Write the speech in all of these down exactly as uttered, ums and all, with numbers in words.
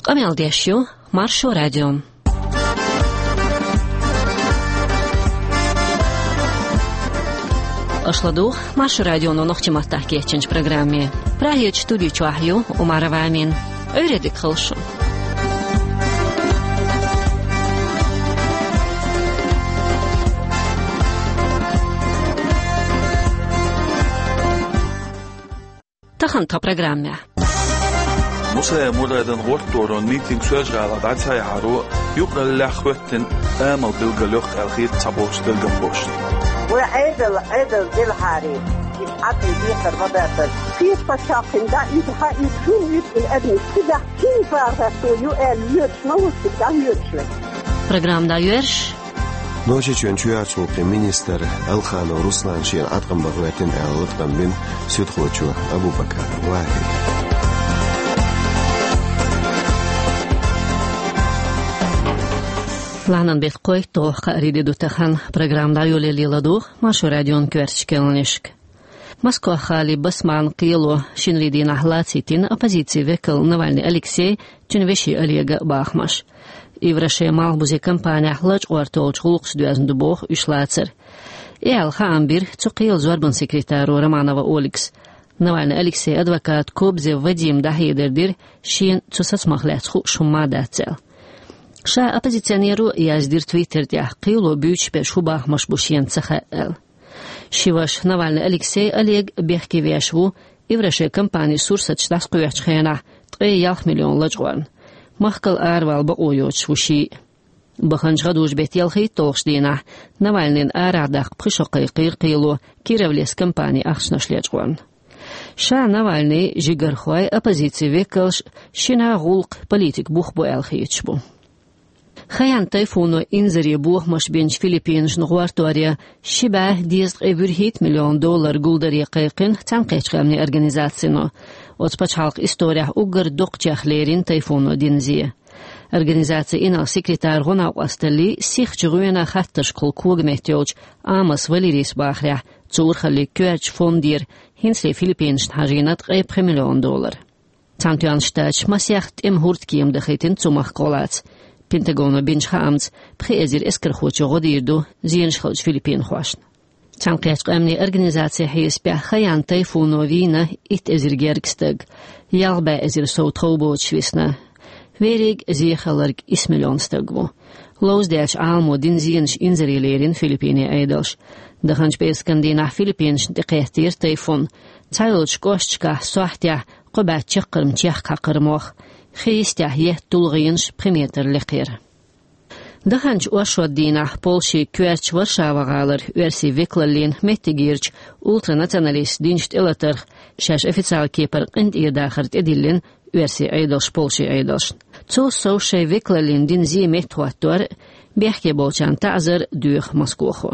Къамел деш ю Маршо радио. Аша ладугӀу Маршо радионо нохчийн маттахь кечйинчу программе. Прагерчу студи чохь ю Умарова Амина. Ӏуьйре дика хуьлда шун. Тахана тхан программехь. Мусаев Мурадан гӀортор митинг Соьлжа-ГӀалахь дӀа ца яхьаро юкъараллехь хӀоьттина амал билгалйоккху аьлла хета цхьаболчу дергалхошна. Вай Ӏедал, Ӏедал делахьара, иза Ӏадъян декхар ма дац. Шеца пачхьалкхана дӀа уьйту, хьан уьйту, хӀун уьйту, и адамаш кхидӀа кхин бахархо ю аьлла, йоьдуш ма ву цига, дӀа йоьдуш вай. Программа дӀайоьрзуш. Нохчийчоьнан чоьхьарчу гӀуллакхийн министр Алханов Руслан шена Ӏаткъам бан хӀоьттина аьлла латкъам бина суьдхочо Абу-Бакар Вахьида. Лахьанан беттан кхойтталгӀа кхаарин де ду тахана. Программа дӀайолале ладугӀу Маршо радион коьртачу керланашка. Москох-гӀалин Басманн кхело шинарин дийнахь лацийтина оппозицин векал Навальный Алексей, цуьнан вешин Олега бахамаш. Ивраше малхбузе компанехь лачкъор толлучу гӀуллакхашца доьзна ду боху уьш лацар. И аьлла хаам бира цу кхелан зорбанан секретаро Романова Ольгас. Навальный Алексейн адвоката Кобзев Вадима дӀахьедар дира шена цу сацамах лаьцна хууш хӀумма а дац аьлла. Ша оппозиционеро яздира Twitter тӀехь, кхело буьйцуш берш хӀун бахамаш бу шена ца хаьа аьлла. Ши ваша Навальный Алексей Олег бехке веш ву Ивраше компанин сурсаташ дӀасакхоьхьучу хенахь ткъе ялх миллион лачкъорна. Махкал аравала бакъо йоцуш ву ший а. Баханчу гӀадужу-беттан ялхитталгӀачу дийнахь Навальныйна арахь даккха пхи шо кхайкхийра кхело Кировлес компанин ахчанаш лечкъорна. Ша Навальный, жигархой, оппозицин векалш шина гӀуллакх политикан бух бу аьлла хеташ бу. Хайян тайфуно инзаре бохамаш бинчу Филиппинашна гӀортор ян ши бӀе дезткъе вуьрхӀитта миллион доллар гулдаре кхайкхина Цхьаьнакхеттачу Къаьмнийн Организацино. Оцу пачхьалкхан исторехь уггар доккхачех лерина тайфуно дина зе. Организацин инарла-секретаран гӀо-накъосталлин сиххачу гӀоьнан хаттаршкахула когаметта йолчу Амос Валерийс бахарехь, цу урхаллин коьртачу фондера хӀинцале Филиппинашна хьажийна ткъе пхи миллион доллар. Цхьаьнатоьхначу Штаташа масех тӀеман хӀурдкема дахийтина цу махкахь гӀо лаца. Пентагоно бинчу хаамца, пхи эзар эскархочо гӀо дийр ду зенаш хиллачу филиппинхошна. Цхьаьнакхеттачу Къаьмнийн Организацин хьесапехь Хайян тайфуно вийна итт эзар гергга стаг, ялх бӀе эзар сов тхов боцуш висна. Верриг зе хилларг исс миллион стаг ву. Ловзадаьллачу Ӏаламо дина зенаш инзаре лерина Филиппинийн Ӏедалша. Даханчу пӀераскан дийнахь Филиппинашна тӀекхеттера тайфун. Цхьайолчу кӀошташкахь сохьтехь кхо бӀе чаккхарма чехка хьакхара мох, хи йистехь етта тулгӀенаш пхи метр лекхера. Даханчу оршот дийнахь Польшин коьртачу Варшава-гӀалара оьрсийн векалаллин меттигерчу ултранационалисташа динчу тӀелатарх шаьш официалан кепара къинтӀера дахар тӀедиллина оьрсийн Ӏедалша Польшин Ӏедалшна. Цул сов шайн векалаллин дина зе меттахӀоттор а, бехке болчарна таӀзар а доьху Москохо.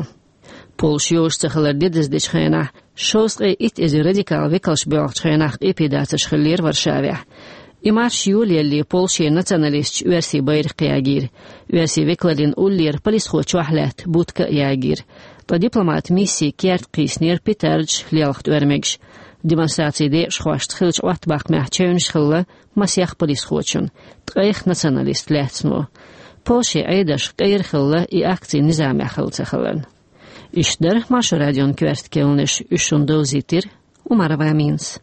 Польша йозуш ца хилар де деза дечу хенахь, шовзткъе итт эзар радикал векалш боьлхучу хенахь къепе дацарш хиллера Варшавехь. И марш йолаелле Польшин националисташа оьрсийн байракх ягийра. Оьрсийн векалаллин уллера полисхо чохь лаьтта будка а ягийра. Ткъа дипломатан миссин керта кхийсинера петардаш, лелха тӀоьрмигаш. Демонстрацин декъашхошца хиллачу Ӏоттабаккхамехь чевнаш хилла масех полисхочун, ткъех националист лаьцна. Польшин Ӏедалш кӀайра хилла и акци низамехь хилла ца хиларна. Иштта дара Маршо радион коьрта керланаш, уьш шуна довзийтира Умарова Аминас.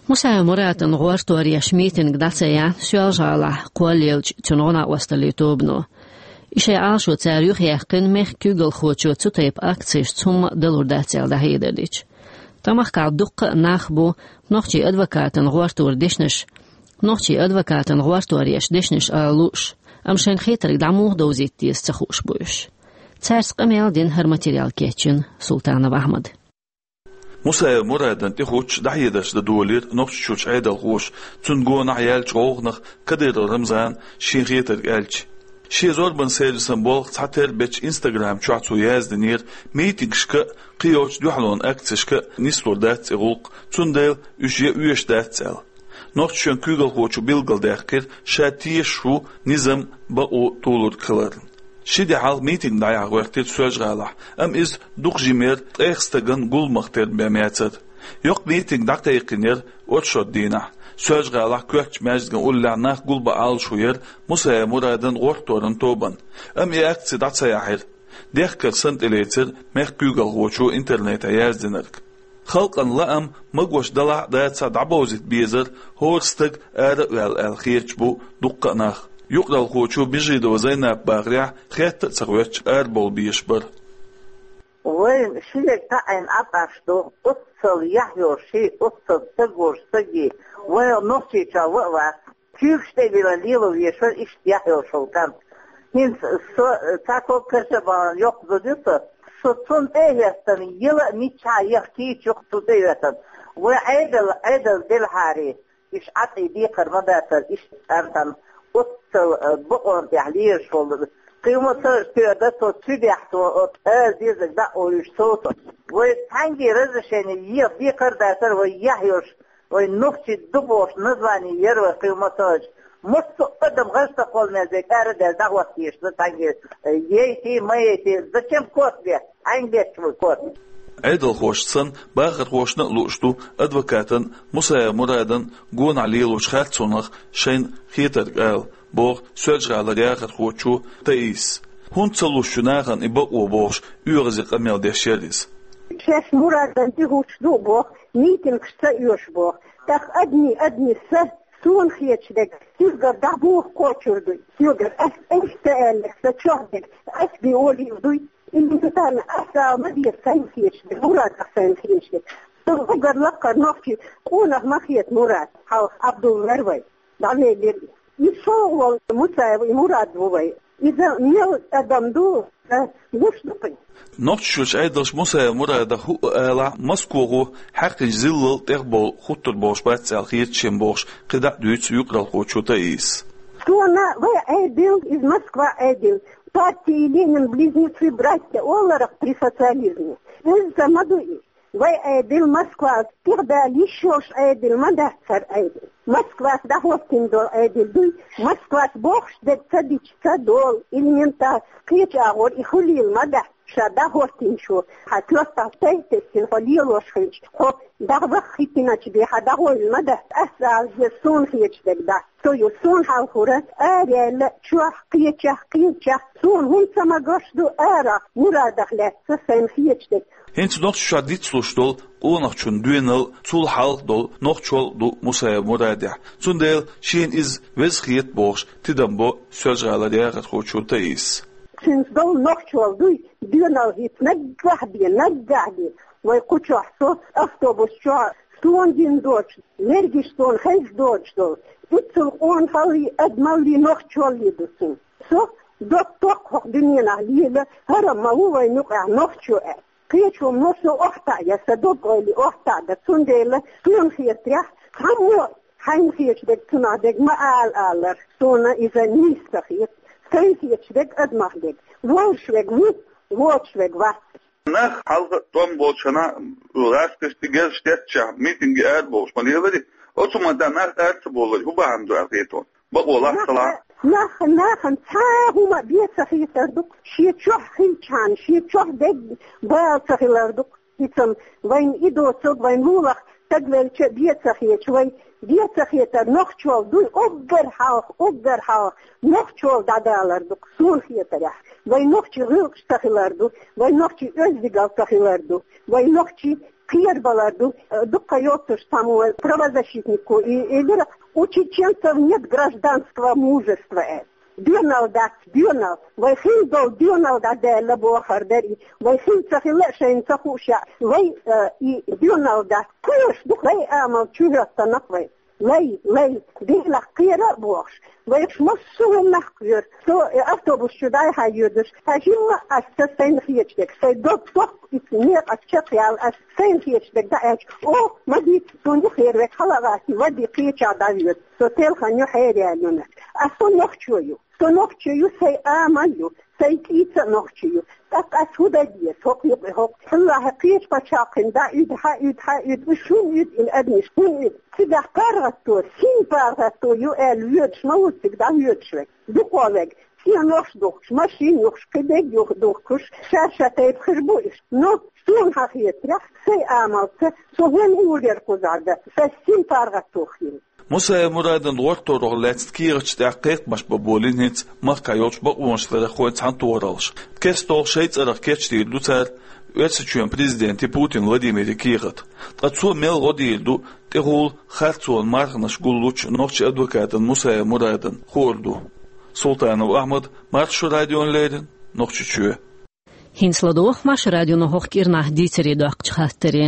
Мусаев Муратан гӀортор еш митинг дӀа ца яьхьна Соьлжа-ГӀалахь кхоллаеллачу цуьнан гӀо-накъосталлин тобано. И шайн Ӏалашо цара юхаяьккхина мехкан куьйгалхочо цу тайпа акцешца хӀумма а далур дац аьлла дӀахьедар дича. Ткъа махкахь дуккха а нах бу нохчийн адвокатан гӀортор дешнаш, нохчийн адвокатан гӀортор еш дешнаш ала лууш, амма шайна хетарг дӀа муха довзийта деза ца хууш бу уьш. Цаьрца къамел дина, хӀара материал кечйина Султанов Ахьмада. Мусаев Мурадан тӀехуттуш дӀахьедарш дан долийра Нохчийчуьрчу Ӏедалхоша, цунна гонах яьллачу гӀовгӀанах Кадыров Рамзана шен хетарг аьлча. Шен зорбанан сервисан болх цхьатерра бечу Instagram чохь цо яздинера, митингашка а, кхин йолчу дуьхьалонан акцешка а нислур дац и гӀуллакх, цундела уьш ян оьшуш дац аьлла. Нохчийчоьнан куьйгалхочо билгалдаьккхира, ша тешаш ву низам, бакъо толург хиларна. Ши де хьалха митинг дӀаяхьа гӀоьртира Соьлжа-ГӀалахь, амма иза дукха жимера ткъех стагана гулламах терра бен яцара. Йоккха митинг дӀакхайкхинера оршот дийнахь. Соьлжа-ГӀалахь коьртачу маьждиган уллехь нах гулбан Ӏалашо яра Мусаев Мурадан гӀортторан тобанна. Амма и акци дӀа ца яхьира. Дехкар санна тӀелецира мехкан куьйгалхочо интернетехь яздинарг. Халкъан лаам, магош далахь а дацахь а дӀабовзийта безар, хӀора стаг ара а ваьлла аьлла хеташ бу дуккха а нах. Юкъаралхочо Межидова Зайнапа бахарехь, хетта а ца хоьттуш арабовла безаш бара. Вайн ши верг таӀийна Ӏаткъаш ду, оццул яхь йолуш, оццул стаг волуш стаге, вайн Нохчийчохь ван а вац. Куьйгаш тӀе а вилла лело везаш вара иштта яхь йолуш волу кӀант. ХӀинца со, э, цхьа ког карша бахана йоккха зуда ю со. Со цунна тӀе а хӀоьттина, яла а миччахьа яха кийча ю-кх цунна тӀе а хӀоьттина. Вай Ӏедал, Ӏедал делахьара, уьш Ӏаткъе декхар ма дацара иштта кӀантана. Оццул, э, бакъонна тӀехь лелаш волу. Кхин ма ца тоьар дан цо цуьдехь, цо оцу ала дезарг дӀа а олуьйтуш совцо. Вай цхьаьнгге разрешение еха декхар а дацара, вай яхь йолуш, вай нохчий ду бохуш название яра вай кхин ма ца хилча. Массо а адам гӀаж ца кхолламе дерг ара а даьлла дӀахӀоттийша ду цхьаьнгге, яйти, ма яйти, зачем кот бе? Хьайна бетташ вай кот? Ӏедалхошна санна, бахархошна а лууш ду адвокатан Мусаев Мурадан гонах лелочу харцонах шайна хетарг ала, боху Соьлжа-ГӀалара яхархочо Таисас. ХӀунда ца луш ю нахана и бакъо бохуш, оьгӀазе къамел деш яра иза. Шаьш Мурадан тӀе хӀуттуш ду боху, митингаш ца оьшу боху. ТӀаккха адми, адми са, суна хеташ дерг, соьгара дӀабуха кхочур дуй. Соьгара ас, ас ца аьлларг, сан чохь дерг, ас бен олийла дуй. Элементарно ас ала ма деза сайна хеташ дерг, Мурадах сайна хеташ дерг. Сан уггар лаккхара нохчи къонах ма хета Мурад, хьалха Абдулла вара вай. ДӀавеллера. И шолгӀа волу Мусаев и Мурад ву вай. Иза мел адам ду, ца гуш ду кхин. Нохчийчуьрчу Ӏедалша Мусаев Мурадах хӀуъа алахь, Москвахо хьаькхначу зиллал тӀехбовла хӀуттур болуш бац аьлла хета шен бохуш, кхидӀа а дуьйцу юкъаралхочо Таисас. Суна вай Ӏедал, иза Москва Ӏедал, партии Ленин близнецы братья оларах при социализме. Иза ма ду и. Вай Ӏедал Москвас тӀехбаьлла йиш йолуш Ӏедал ма дац хӀара Ӏедал. Москвас дӀахӀоттийна долу Ӏедал дуй, Москвас бохуш дерг ца дича ца долу, элементарно кхечу агӀор и хуьлийла ма дац, ша дӀахӀоттийначо, хьан коьртахь тӀе а тесна хьо лелош хилча, хьо дӀаваха хӀиттиначу бен хьан дӀагӀойла ма дац, ас ала деза суна хеташ дерг дац. Со ю суна хьалхара, ара яьлла, чохь, кхечахь, кхечахь, суна хӀунда ца магош ду арахь, Мурадах лаьцна сайна хеташ дерг. ХӀинца Нохчийчохь дицлуш долу къонахчун доьналла, цул хьалха долу нохчалла ду Мусаев Мурадехь. Цундела шена иза веза хета бохуш, тидам бо Соьлжа-ГӀалара яхархочо Таисас. Цуьнца долу нохчалла дуй, доьналла хӀинца наггахь бен, наггахь бен. Вай кху чохь со автобус чохь суна дина доцуш, лергаш суна хезна доцуш долу. Иццул къонахаллий, адамаллий, нохчаллий ду суна. Со доккха ток хӀокху дуьненахь лела, хӀара ма ву вайн юкъахь нохчо аьлла. Кхечо ма со охьатаӀа я, сан дог-ойла охьатаӀа дан, цундела суна хетарехь, цхьаммо хьайна хеташ дерг цунах дерг ма ала алар, суна иза нийса ца хета, сайна хеташ дерг адамах дерг, волуш верг ву, воцуш верг вац. Нах хьалха тӀом болчу хенахь, гӀазкхашна тӀе герзаш деттачохь, митинге арабовлуш ма лелари, оцу ма дан нах ара ца бовлура, хӀун бахьана ду аьлла хета хьуна? Бакъо лахь ца лахь? Нах, нахана цхьа а хӀума бен ца хетар ду-кх, шен чохь хилчхьана, шен чохь дерг бала ца хилар ду-кх. ХӀинца вайна и доцург, вайн муьлхха стаг велча а бен ца хеташ, вай бен ца хетар нохчалла дуй, уггар хьалха, уггар хьалха нохчалла дӀадалар ду-кх, суна хетарехь. Вай нохчий гӀиллакхаш ца хилар ду, вай нохчий оьздангалла ца хилар ду, вай нохчий кхерабалар ду. Дуккха йоццуш цхьаммо правозащитнико и элира, у чеченцев нет гражданского мужества, аьлла. Доьналла дац, доьналла. Вай хин долу доьналла дӀадаьлла бохар дара и. Вай хин ца хилла а шайна ца хууш а, вай, э, и доьналла дац. Кхоьруш ду вай амал чу хӀоьттина-кх вай. Лай, лай, Делах кхера а бохуш. Вайх массо а хӀуманах кхоьру. Со, э, автобус чу дӀай-хьай йоьдуш. Хьажимма ас ца сайна хеташ дерг. Сайн дог тохку иза некъа чекхъяла ас сайна хеташ дерг дӀааьлча. О, ма дийца, суна юххера верг хьала а гӀаттий, вади кхечахь дӀавоьду. Со телхана ю хьераяьлла юнах. Ас со нохчо ю. Со нохчо ю, сайн амал ю, сайн кӀийца а нохчо ю. ТӀаккха ас хӀун дан деза? ХӀокху юкъе хӀокху. Аллахьа кхечу пачхьалкхина дӀа уьду, хьа уьду, хьа уьду. Уьш хӀунда уьду, и адамаш хӀунда уьду? Цигахь паргӀато, син паргӀато ю аьлла воьдуш ма ву цига дӀавоьдуш верг. Дукха верг. Стенаш духкуш, машин юхкуш, кхидерг юха духкуш, ша-ша тайпа хир бу уьш. Но суна хетарехь, сайн амалца, со хӀун уллера кхузахь дан, сан син паргӀатто хила. Мусаев Мурадана гӀортор ваха лаьцна кехаташ тӀехь кхайкхамаш бан болийна хӀинца махкахь йолчу бакъонаш ларъярхойн цхьаьнатохараллаш. КестолгӀа шайн цӀарах кечдийр ду цара Оьрсийчоьнан президенте Путин Владимире кехат. Ткъа цо мел гӀо дийр ду, тӀехула харцонан марханаш гуллучу нохчийн адвокатана Мусаев Мурадана хуур ду. Султанов Ахьмад, Маршо радиона леррина, Нохчийчоь. ХӀинца ладогӀа Маршо радионо хӀокху кӀирнахь дийцаре доккхучу хаттаре.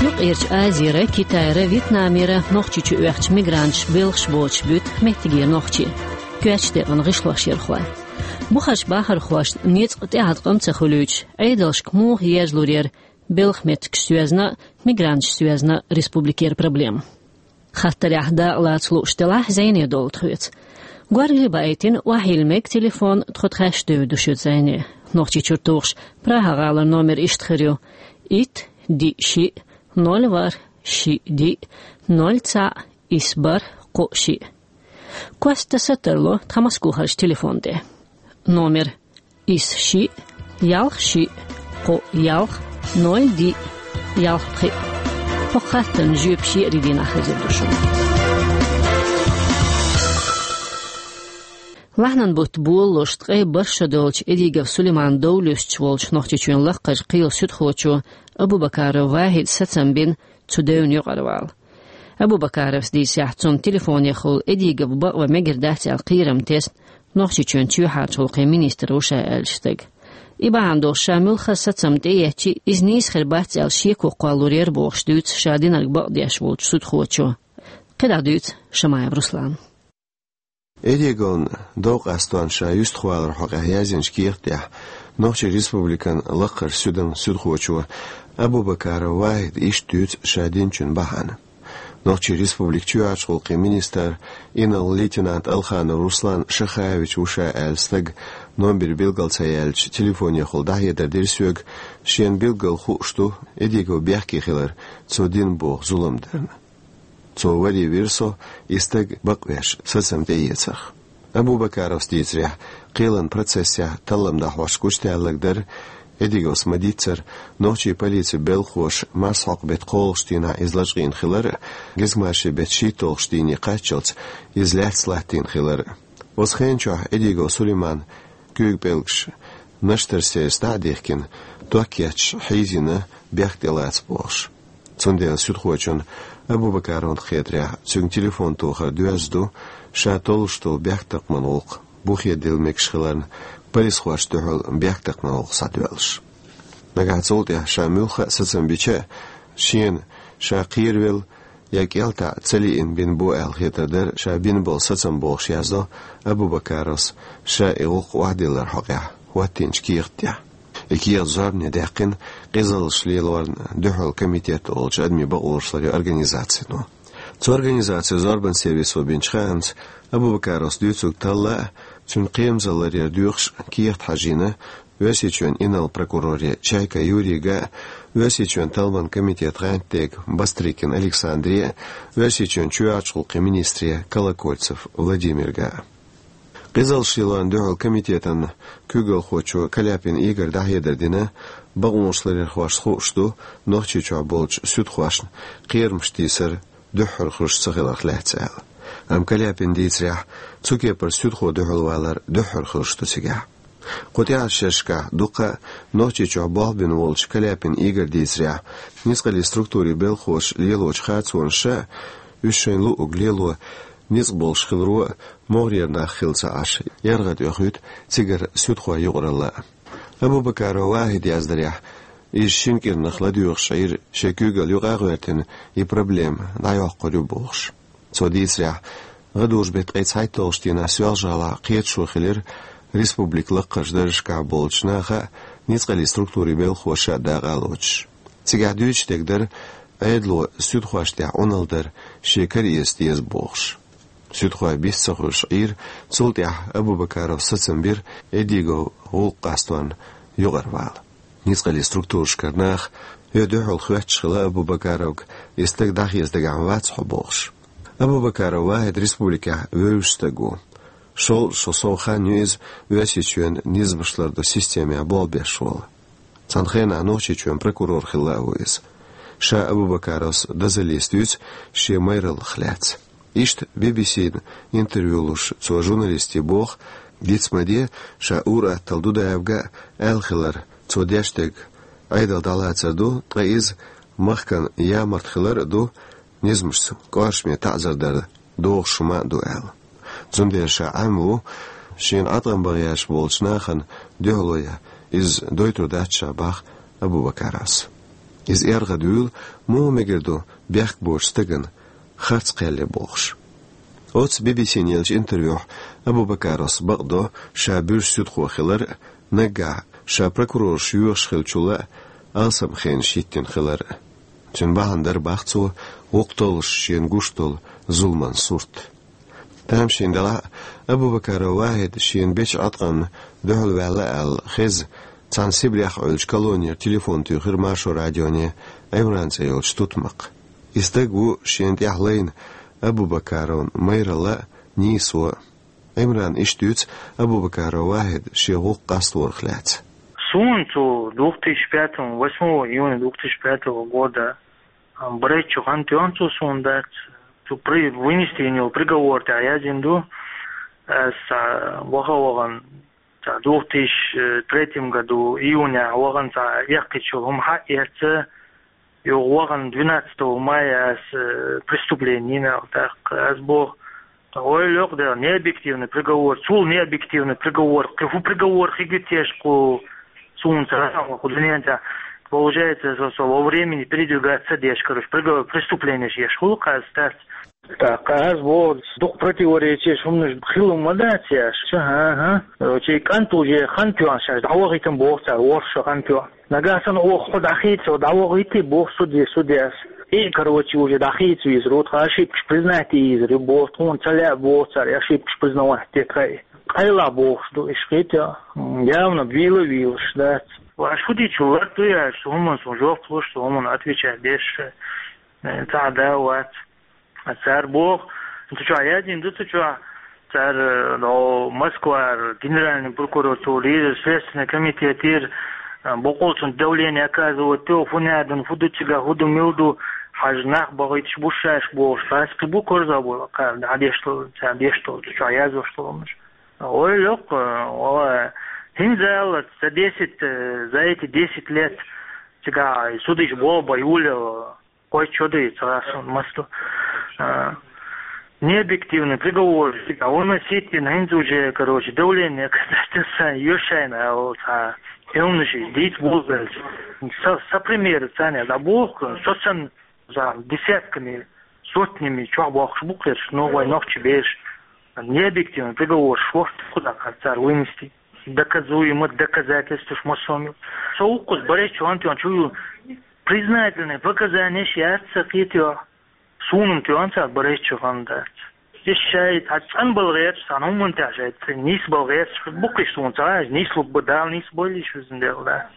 Юккъерчу Азера, Китайра, Вьетнамера Нохчийчу оьхучу мигранташ белхаш боцуш буьту меттигера нохчий, коьртачу декъана гӀишлошъярхой. Бухарш бахархошна ницкъ тӀеӀаткъам ца хуьлуьйтуш, Ӏедалшка муха езлур яра белхан меттигаш соьзна а, мигранташ соьзна а республикера проблема? Хаттарехь дакъалаца лууш делахь, зӀене долу тхоьца. Горгали баийтина, охьайилла мега телефон, тхо тхаьш девр ду шуьца зӀене. Нохчийчуьра тухуш, Прага-гӀалара номер иштта хир ю: итт, диъ, шиъ, ноль, ворхӀ, шиъ, диъ, ноль, цхьаъ, исс, бархӀ, кхоъ, шиъ. Коста са тарло тхан Москохарчу телефон тӀе. Номер: исс, шиъ, ялх, шиъ, кхоъ, ялх, ноль, диъ, ялх, пхиъ. ХӀокху хаттарна жоьпаш еарин дийнахь хезар ду шуна. Лахьанан бутт болалуш, ткъе бархӀ шо долчу Эдигов Сулиман дов луьстуш волчу Нохчийчоьнан лакхарчу кхелан суьдхочо Абубакаров Вахьида сацам бина цу девна юкъара вала. Абубакаровс дийцарехь, цунна телефонехула Эдигов бакъван мегар дац аьлла кхерам тесна Нохчийчоьнан чоьхьарчу гӀуллакхийн министр ву ша аьллачу стага. И бахьана долуш ша муьлхха а сацам тӀеэцча, иза нийса хир бац аьлла шеко кхоллалур яра бохуш дуьйцу ша динарг бакъдеш волчу суьдхочо. КхидӀа дуьйцу Шамаев Руслана. Эдиговна дов къастош ша юьстахваларна хьокъехь яздинчу кехат тӀехь Нохчийн Республикан лакхарчу суьдан суьдхочо Абубакаров Вахьида иштта дуьйцу ша динчун бахьана. Нохчийн Республикан чоьхьарчу гӀуллакхийн министр, инарла-лейтенант Алханов Руслан Шахаевич ву ша аьлла стаг номер билгал ца яьлча, телефонехула дӀахьедар дира соьга, шена билггал хууш ду Эдигов бехке хилар цо дина боху зулам дарна. Цо варе вира со, и стаг бакъвеш, сацам тӀеэцарх. Абубакаровс дийцарехь, кхелан процессехь таллам дӀахьош гучудаьлларг дара, Эдиговс ма-дийццара, нохчийн полицин белхахоша марсхьокху беттан кхоалгӀачу дийнахь иза лачкъийна хилар а, гезгмашин беттан шийтталгӀачу дийне кхаччалц иза лаьцна латтийна хилар а. Оцу хенан чохь Эдигов Сулиман куьйга пӀелгаш Наштарсейс дӀа а дихкина, ток етташ хьийзийна, бехк тӀелаца бохуш. Цундела суьдхочунна Абубакаровна хетарехь, цуьнга телефон тохар доьзна ду, ша толлуш долу бехктакхаман гӀуллакх бухе дилла мегаш хиларна, полисхошна дуьхьал бехктакхаман гӀуллакх схьадоьллуш. Нагахь цул тӀаьхьа ша муьлхха а сацам бича а, шена ша кхеравелла я кӀелтаӀ ца лиъна бина бу аьлла хетар дара ша бина болу сацам бохуш яздо Абубакаровс ша и гӀуллакх охьадилларна хьокъехь хӀоттийначу кехат тӀехь. И кехат зорбане даьккхина Къизаллаш лелорна дуьхьал комитет олучу адамийн бакъонаш ларъяран организацино. Цу организацино зорбанан сервисо бинчу хаамца, Абубакаровс дуьйцург талла а, цуьнан кхерамзалла ларъяр доьхуш а кехат хьажийна Оьрсийчоьнан инарла прокуроре Чайка Юрийга а, Оьрсийчоьнан талламан комитетан гӀантдега Бастрыкин Александре а, Оьрсийчоьнан чоьхьарчу гӀуллакхийн министре Колокольцев Владимирга а. Къизаллаш лелорна дуьхьал комитетан куьйгалхочо Каляпин Игора дӀахьедар дина, бакъонаш ларъярхошна хууш ду Нохчийчохь болчу суьдхошна кхерамаш тийсар дуьххьара хуьлуш ца хиларх лаьцна аьлла. Амма Каляпина дийцарехь, цу кепара суьдхо дуьхьалвалар дуьххьара хуьлуш ду цигахь. Кху тӀаьхьарчу шерашкахь дуккха а Нохчийчохь болх бина волчу Каляпин Игора дийцарехь, ницкъаллин структурийн белхахоша лелочу харцонаша а, уьш шайна луъург лело ницкъ болуш хиларо а могӀарера нах хилла ца Ӏаш, яргӀад оьхуьйту цигара суьдхойн юкъаралла а. Абубакаров Вахьида яздарехь, иза шина кӀирнах ладоьгӀуш Ӏийра шен куьйгалла юкъа а гӀоьртина, и проблема дӀайоккхур ю бохуш. Цо дийцарехь, гӀадужу беттан ткъе цхьайтталгӀачу дийнахь Соьлжа-ГӀалахь кхеташо хилира республикан лакхарчу даржашкахь болчу наха а, ницкъаллин структурийн белхахоша а дакъа а лоцуш. Цигахь дуьйцуш дерг дара, Ӏедало суьдхошна тӀехь Ӏуналла дар шен кара эца деза бохуш. Суьдхой бист ца хуьлуш Ӏийра, цул тӀаьхьа Абубакаровс сацам бира Эдиговн гӀуллакх къасторна юкъара вала. Ницкъаллин структурашкара наха, хӀе, дуьхьал хоьттуш хилла Абубакаровга, и стаг дӀахеца дагахь вац хьо бохуш. Абубакаров Вахьид республикехь вевзаш стаг ву. ШолгӀа шо сов хан ю иза Оьрсийчоьнан низамаш лардо системехь болх беш волу. Цхьана хенахь Нохчийчоьнан прокурор хилла а ву иза. Ша Абубакаровс дозаллица дуьйцу шен майраллах лаьцна. Иштта Би-Би-Сина интервью луш цо журналистий боху, диц ма де, ша ур-атталла Дудаевга аьлла хилар, цо деш дерг Ӏедал дӀалацар ду, ткъа иза махкана ямарта хилар а ду, низамашца кӀоршаме таӀзар дар догӀуш хӀума а ду аьлла. Цундела ша Ӏемма ву, шена Ӏаткъам бан гӀерташ болчу нахана дуьхьало ян, иза дойтур дац ша, боху Абубакаровс. Иза эргӀадуьйла, муха мегар ду бехк боцучу стагана харц кхел ян бохуш. Оцу Би-Би-Сина еллачу интервьюхь Абубакаровс бакъдо, ша буьрса суьдхо хилар а, наггахь ша прокурораш йоьхуш хиллачул а алсам хенаш йиттина хилар а. Цуьнан бахьана дара, боху цо, гӀуллакх толлуш шена гуш долу зуламан сурт. Тамашийна делахь а, Абубакаров Вахьид шена бечу Ӏаткъамна дуьхьал ваьлла аьлла хезна, цхьана Сибрехь Ӏуьллучу колонера телефон туьйхира Маршо радионе Ӏимран цӀе йолчу тутмакха. И стаг ву шена тӀехь лайна Абубакаровн майралла а, нийсо а. Ӏимрана иштта дуьйцу Абубакаров Вахьида шен гӀуллакх къасторах лаьцна. Суна цо двух тысяч пятого, восьмого июня двух тысяч пятого года, а, бархӀитта шо хан тоьхна цо суна дац. Цу при-, вынести йина йолу приговор тӀехь яздина ду. Аса ваха вахана, цхьа двух тысяч третьем году июнехь вахана цхьа эккхийчу хӀума хьаэца, юха вахана двенадцатого мая аса, э, преступление йина аьлла тӀаккха. Аса боху, ойла йоккха дела, необъективный приговор, цул необъективный приговор, кхин хӀун приговор хир ю теша кху суна цара, кху дуьнен тӀехь. Получается, со, со во времени передвигаться деш, короче, приговор, преступление еш хуьлу кхаьзза дац. ТӀаккха аса боху, дукха противоречеш хӀуманаш хилла ма дац аьлла. Ша, хӀан-хӀа. Короче, кӀант уже хан тоьхна шаьш дӀавахийтина боху цара, ворхӀ шо хан тоьхна. Нагахь санна оха хьо дӀахийца, дӀавахийтий боху суде, судьяс. И, короче, уже дӀахийца везар ву, тхан ошибкаш признать е езар ю боху, тхуна ца лаьа боху цара, ошибкаш признавать де тхайн. Къайлах бохуш ду, иштта хета, явно вийла а вийлаш дац. Аш хӀун дийцича лар ду аьлла, цу хӀуманна суна жоп луш, цу хӀуманна отвечать деш, э, цхьа а да вац. Цара боху, цу чохь яздина ду, цу чохь цара, э, но Москвара, генеральный прокуратурера, следственный комитетера, э, боккъал цунна давление оказывать до, хӀун яздина, хӀун ду цигахь, хӀун ду, мила ду, хьажа нах бахийташ бу шаьш бохуш, хьаста бу корзагӀбойла кхара, дӀадеш долу, цара деш долу, цу чохь яздеш долу хӀуманаш. Ойла йоккха, валлахӀи, хӀинца аьлла, за десять, э, за эти десять лет цигахь судиш болх бан юлел, кхойтта шо ду и цхьа суна маса ду. А, необъективный приговор, а выносить йина хӀинца уже, короче, давление оказать, сан йо шайна аьлла цхьа хӀуманаш дийца болабелча. Со, со пример царна дӀабоху, со санна за десятками, сотнями чохь бохкуш бу кхераш, но вай нохчий бераш. Необъективный приговор шортта кхузахь цара вынести. Доказуемо, доказательстваш массо а. Со вукхуза бархӀитта шо хан тоьхна чу ю, признательные показания яц сан кхетоьхна. Суна-м тоьхна цара бархӀитта шо хан дац. Иза шаьш цхьа цӀанбала гӀерташ, цхьана хӀуманна тӀехь шаьш нийсбала гӀерташ бу кхиш суна ца хаьа, нийслуг бу, Дала нийсбойла уьш, везан Дела, да.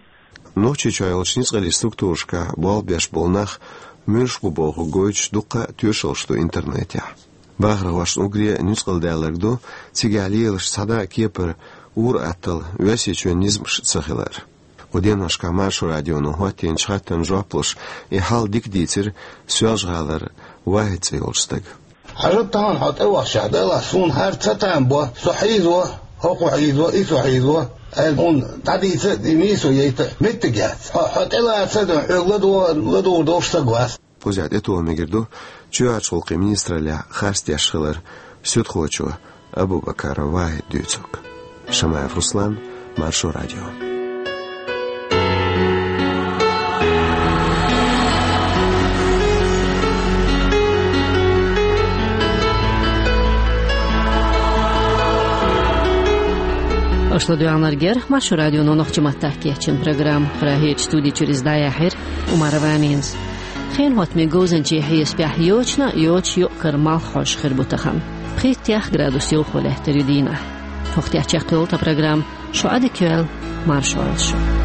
Нохчийчохь йолчу ницкъаллин структурашкахь болх беш болу нах муьлш бу бохург гойтуш дуккха а тоьшаллаш ду интернетехь. Бахархошна уггаре нуьцкъала даьлларг ду, цигахь лелаш цхьа а кепара ур-атталла Оьрсийчоьнан низамаш ца хилар. Кху деношкахь Маршо радионо хӀоттийначу хаттарна жоп луш, и хьал дика дийцира Соьлжа-ГӀалара Вахьид цӀе йолчу стага. Хьажа тахана хьо тӀевахчахь, Дала суна хӀара ца там бо, со хьийзо, хӀокхо хьийзо, и со хьийзо, аьлла, хьуна дӀадийца а, и нийсо яйта а меттиг яц. Хьо, хьо тӀелаца а дуьйна, хьоьга ладо-, ладугӀур долуш стаг вац. Кхузахь тӀетоха мегар ду чоьхьарчу гӀуллакхийн министраллехь харц деш хилар суьдхочо Абубакаров Вахьида дуьйцург. Шамаев Руслан, Маршо радио. Аша ладоьгӀнарг яра Маршо радионо нохчийн маттахь кечйина программа. Прагерчу студи чуьра иза дӀаяьхьира Умарова Аминас. Хенан хӀоттамийн говзанчийн хьесапехь йочана а йоцуш юкъ-кара малх хьожуш хир бу тахана. Пхийттех градус йовхо лаьттар ю дийнахь. ХӀокху тӀехь чекхйолу тхан программа. Шу Ӏадика йойла, марша Ӏойла шу.